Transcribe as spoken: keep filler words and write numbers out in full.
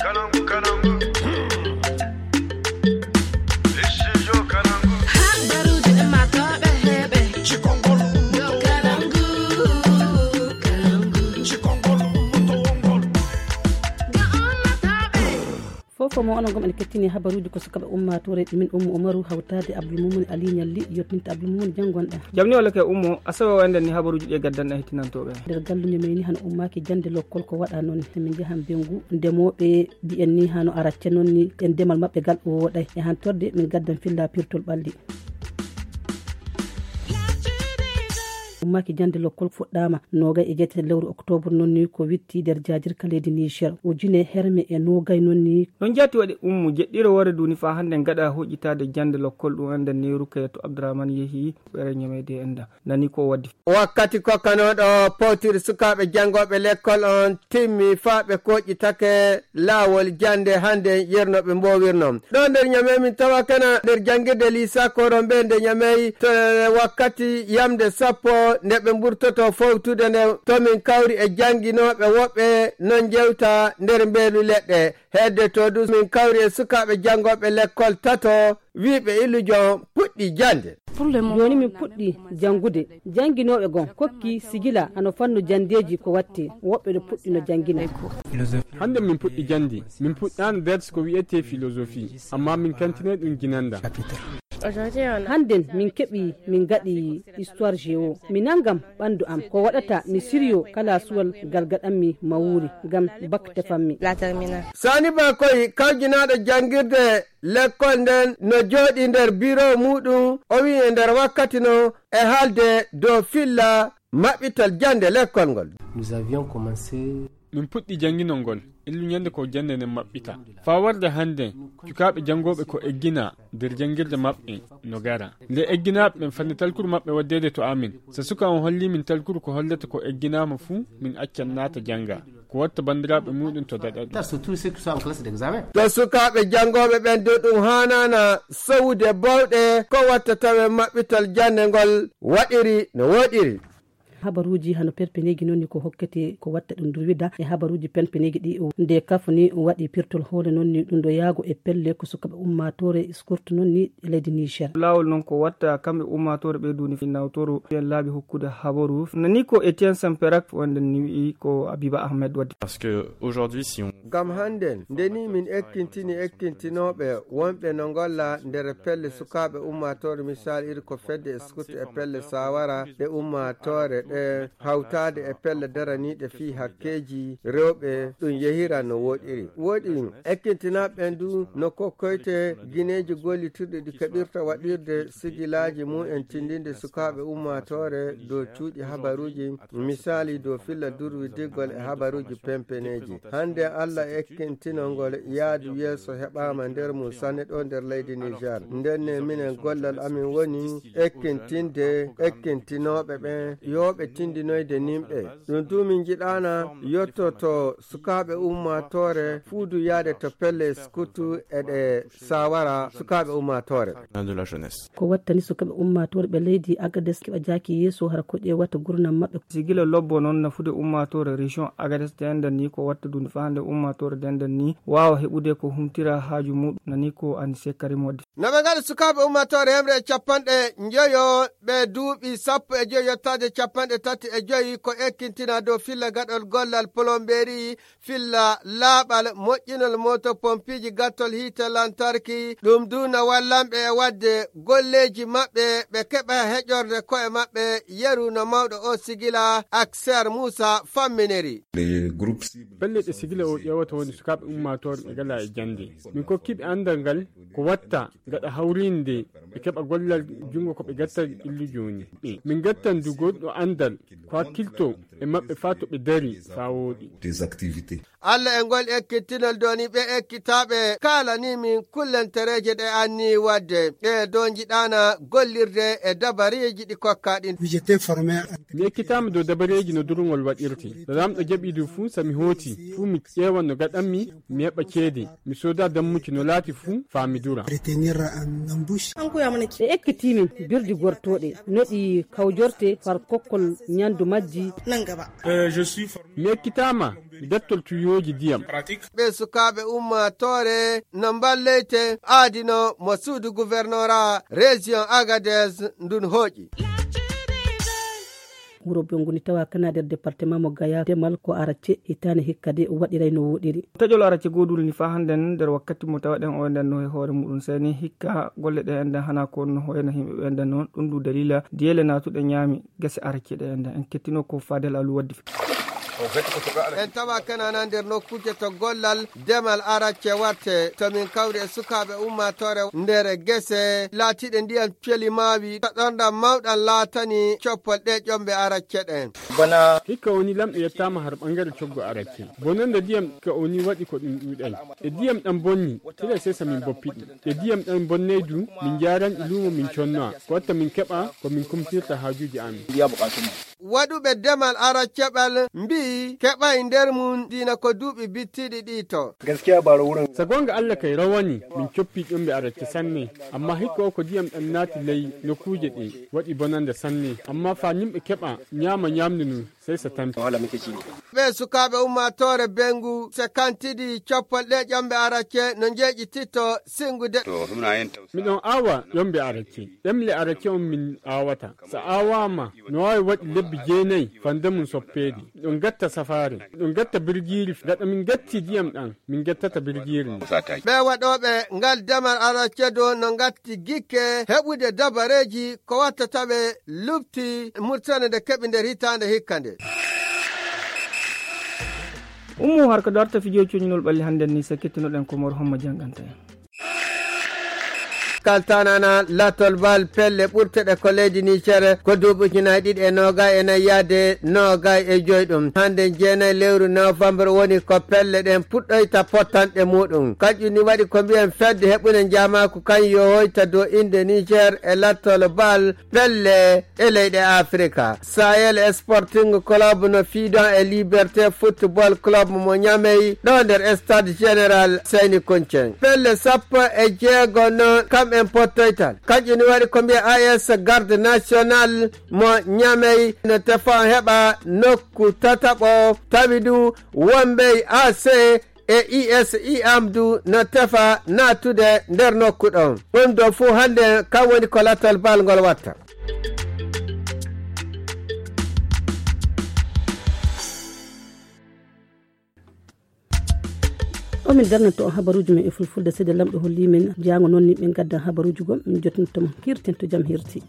Habaruuji ɗi ummaatooɓe heɓe. Cikongol ummaatooɓe. Cikongol ummaatooɓe. Fof fof mo onon gom ene kettini habaruuji ko sukaɓe ummaatoore min Ummu Umaru hawtaade Abdul Mumun Ali Ñalli yottinta Abdul Mumun janngonɗa. Jamni walla ke Ummo, asawe o enden ni habaruuji ɗi gaddanɗa hettinantooɓe. Nder galluño men ni hano ummaaki jannde lokkol ko waɗa noon. Min njahan Bengu, ndemooɓe mbiyen ni hano aracce noon ni e ndemal maɓɓe gal o woɗay. E hantorde min gaddan filla pirtol ɓalli. Ummaaki jannde lokkol fuɗɗaama noogay e jeetati lewru oktoobre noon ni ko witti nder jaajirka leydi Niger. Ujune herme e noogay noon ni. Noon jaati waɗi Ummu jeɗɗiro woore duuni faa hannde gaɗa hoƴƴitaade jannde lokkol ɗum enden ni Rukayatu Abdurahman yehi ɓere ñameede enda. Nani ko waddi. Wakkati kokkanooɗo powtiri sukaaɓe janngooɓe lekkol on timmi faa ɓe koƴƴitake laawol jannde hannde yernooɓe mboowirno. Ɗo nder Ñamey min tawa kana nder janngirde Lisa Korombe nde Ñamey to wakkati yamde sappo nde ɓe mburtoto fowtude nde to min kawri e jannginooɓe woɓɓe non njewta nder mbeelu leɗɗe. Hedde to ɗum min kawri e sukaaɓe janngooɓe lekkol tato wiiɓe illujon puɗɗi jannde. Jooni min puɗɗi janngude. Jannginooɓe gon kokki sigila hano fannu janndeeji ko watte. Woɓɓe no puɗɗi no janngina. Hannde min puɗɗi jannde. Min puɗɗaano ders ko wi'etee philosophie. Amma min kantinay ɗum ginanda. Hannden min keɓi min ngaɗi histoire géo. Mi nanngam ɓanndu am ko waɗata mi siryo kala suwal gal gaɗanmi mawuuri ngam bak tefammi. Sani Bakoy kawjinaaɗo janngirde lekkol nden no jooɗii nder biro muuɗum o wi'i e nder wakkati no e haalde dow filla maɓɓital jannde lekkol ngol. Nous avions commencé. Min puɗɗi jannginol ngol illu ñande ko jannde nden maɓɓita. Faa warde hannde cukaaɓe janngooɓe ko eggina nder janngirde maɓɓe no gara. Nde egginaaɓe ɓen fanni talkuru maɓɓe waddeede to amin. So suka on holli min talkuru ko hollata ko egginaama fuu min accan naata jannga. Ko watta banndiraaɓe muuɗum to daɗa ɗum. To sukaaɓe janngooɓe ɓen dow ɗum haanaana sowude bawɗe ko watta tawe maɓɓital jannde ngol waɗiri no woɗiri. Habaruuji hano perpeneeji noon ni ko hokkete ko watta ɗum durwida e habaruuji perpeneeji ɗi o nde kafo ni waɗi pirtol hoore noon ni ɗum ɗo yaago e pelle ko sukaɓe ummaatoore skurtu noon ni e leydi Niger. Laawol noon ko watta kamɓe ummaatoore ɓe duuni nawtoro ɓen laabi hokkude habaru. Nani ko Etienne Semperak wonde ni wi'i ko Abiba Ahmed waddi. Parce que aujourd'hui si on Ngam hannden, nde nii min ekkintini ekkintinooɓe wonɓe no ngolla nder pelle sukaaɓe ummaatoore, misaal iri ko fedde e sukut e pelle saawara ɗe ummaatoore ɗe hawtaade e pelle daraniiɗe fii hakkeeji rewɓe, ɗum yehira no woɗiri. Woɗi ekkintinaaɓe ɓen du no kokkoyte gineeji gollitirɗi ɗi keɓirta waɗirde sigilaaji mum en tindinde sukaaɓe ummaatoore dow cuuɗi habaruuji. Misaali dow filla durwidiggol e habaruuji pempeneeji. Hannde Alla ekkintinol ngol yaadu yeeso heɓaama nder mum sanne ɗo nder leydi Niger. Ndenne minen gollal amin woni ekkintinde ekkintinooɓe ɓen yo ɓe tindinoyde nimɓe. Ɗum du min njiɗaana yottoto sukaaɓe ummaatoore fuu du yaade to pelle skutu e ɗe saawara sukaaɓe ummaatoore. De la jeunesse. Ko wattani sukaaɓe ummaatoore ɓe leydi Agades keɓa jaaki yeeso hara ko ƴeewata gurdam maɓɓe. Sigila lobbo noon nafude ummaatoore région Agades denden ni ko watta duunde faa hannde ummaatoore denden ni waawa heɓude ko humtira haaju muɗum nani ko Anise Karim waddi. No ɓe ngaɗa sukaaɓe ummaatoore hemre e capanɗe njoyo ɓe duuɓi sappo e joyi yottaade capanɗe tati e joyi ko ekkintina dow filla gaɗol gollal plomberie filla laaɓal, moƴƴinol mooto pompiiji, gattol hiite lantarki. Ɗum du no wallanɓe e waɗde golleeji maɓɓe, ɓe keɓa heƴorde ko'e maɓɓe yeru no mawɗo o sigila Akser Muusa famminiri. Pelle ɗe sigila o ƴeewata woni sukaaɓe ummaatoore ɓe ngalaa e jannde. Min kokkiiɓe anndal ngal ko watta gaɗa hawriinde ɓe keɓa gollal junngo ko ɓe gatta illu jooni. Min gattan du goɗɗo anndal ko hakkilto e maɓɓe faa to ɓe dari faa wooɗi. Des activités. Alla e ngol ekkitinol doni ɓe ekkitaaɓe kaalanii min kullentereeje ɗe anni waɗde. Ɗe do njiɗaana gollirde e dabareeji ɗi kokkaa ɗin. Mi ekkitaama dow dabareeji no durngol waɗirte. So Laamɗo jaɓii du fuu, so mi hooti fuu, mi ƴeewan no gaɗanmi, mi heɓa ceede, mi sooda dammucci no laati fuu, faa mi dura. Ɓe ekkitii min birdi gortooɗe, no ɗi kawjorte far kokkol ñandu majji. Mi ekkitaama bettol tuyooji ndiyam. Ɓe sukaaɓe ummaatoore no mballeyte aadino mo suudu gouvernorat région Agadez ndun hooƴi. Wuro Bongu ni tawa kana nder département mo Gaya, demal ko aracce hitaande hikka de waɗiray no woɗiri. Taƴol aracce goodul ni faa hannden nder wakkati mo tawaɗen o nden no e hoore muɗum seni hikka golle ɗe enden hana ko no hoyna himɓe ɓe enden noon ɗum du dalila diyele naatuɗe ñaami gese aracce ɗe enden en kettino ko Fadel Alu waddi. En tawa kanana nder nokkuuje to gollal demal aracce watte to min kawri e sukaaɓe ummaatoore nder gese laatiiɗe ndiyam celi maawi to ɗorndam mawɗam laatani coppol ɗe ƴomɓe aracce ɗen. Hikka woni lamɗo yettaama har ɓangare coggo aracce. Bonande ndiyam ka woni waɗi ko ɗum ɗuuɗay. E ndiyam ɗam bonni, tira sesa min boppi ɗum. E ndiyam ɗam bonnay du, min njaaran e luumo min connoa. Ko watta min keɓa ko min kumtirta haajuuji amin. Waɗuɓe demal aracce ɓal mbi'i keɓay nder mum diina ko duuɓi bittiɗi ɗi to. Sa goonga Allah kay rawani min coppi ƴomɓe aracce sanne, amma hikka o ko ndiyam ɗam naati ley nokkuuje ɗe waɗi bonande sanne, amma faa yimɓe keɓa ñaama ñaamdu ndu sey sa tampi. Ɓe sukaaɓe ummaatoore Bengu se kantidi coppol ɗe ƴomɓe aracce no njeeƴititto singude. Miɗon aawa ƴomɓe aracce, ɗemle aracce on min aawata. Sa aawaama no waawi waɗi lebbi jeenayi fande mum soppeede. Miɗon gatta safaare, miɗon gatta birgiiri. Gaɗa min gatti ndiyam ɗam, min gattata birgiiri ndin. Ɓe waɗooɓe ngal demal aracce do no ngatti gikke heɓude dabareeji ko wattata ɓe luɓti murtane nde keɓi nder hitaande hikka nde. Ummu har ko darta fijo cuñinol ɓalli hannden ni se kettunoɗen ko mor homma jannganta en. Kaltanana latol bal pelle ɓurteɗe ko leydi Niger ko duuɓi ujunaaji ɗiɗi e noogay e nayi yaade noogay e joyi ɗum. Hannde jeenayi lewru novembre woni ko pelle ɗen puɗɗoyta pottanɗe muɗum. Kanƴum ni waɗi ko mbiyen fedde heɓunde njaamaaku kan yo hoyta dow innde Niger e latol bal pelle e leyɗe Afrika. Sahel Sporting Club no fiidon e Liberté Football Club mo Ñamey ɗo nder Stade Général Seyni Koncen. Pelle sappo e jeego noon kam en pottoytal. Kanƴum ni waɗi ko mbiya A S Garde National mo Ñamey no tefa heɓa nokku tataɓo tawi du Wombey A C e I S I Amdu no tefa naatude nder nokku ɗon. Ɗum ɗo fuu hannde kam woni ko latal bal ngol watta. O min darnanto on habaruuji men e fulfulde seede lamɗo holli men jaango noon ni ɓe ngaddan habaruuji gom min jottinto mo hirtinto jam hirti.